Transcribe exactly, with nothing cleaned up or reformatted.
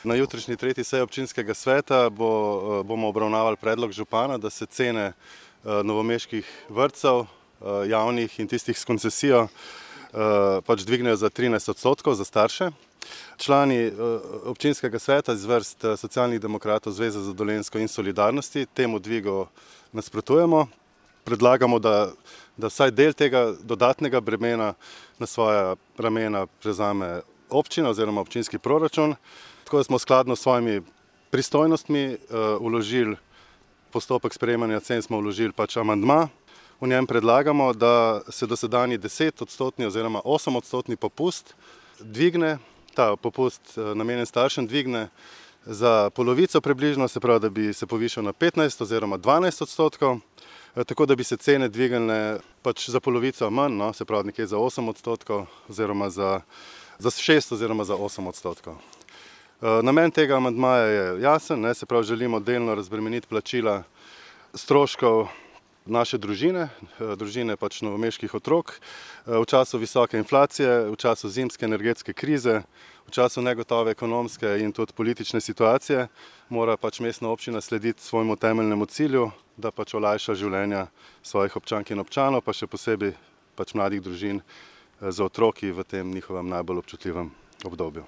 Na jutrišnji tretji seji občinskega sveta bo, bomo obravnavali predlog župana, da se cene novomeških vrtcev, javnih in tistih s koncesijo, pač dvignejo za trinajst odstotkov za starše. Člani občinskega sveta iz vrst Socialnih demokratov, Zveze za Dolenjsko in Solidarnosti temu dvigu nasprotujemo. Predlagamo, da, da vsaj del tega dodatnega bremena na svoja ramena prevzame občina oziroma občinski proračun. Tako da smo skladno s svojimi pristojnostmi vložili postopek sprejemanja cen, smo vložili pač amandma. V njem predlagamo, da se dosedanji deset odstotni oziroma osem odstotni popust dvigne, ta popust namenjen staršem dvigne za polovico približno, se pravi, da bi se povišal na petnajst oziroma dvanajst odstotkov, tako da bi se cene dvignile pač za polovico manj, no, se pravi nekje za osem odstotkov oziroma za, za šest oziroma za osem odstotkov. Namen tega amandmaja je jasen, ne, se pravi, želimo delno razbremeniti plačila stroškov naše družine, družine pač novomeških otrok, v času visoke inflacije, v času zimske energetske krize, v času negotove ekonomske in tudi politične situacije, mora pač mestna občina slediti svojemu temeljnemu cilju, da pač olajša življenja svojih občank in občanov, pa še posebej pač mladih družin z otroki v tem njihovem najbolj občutljivem obdobju.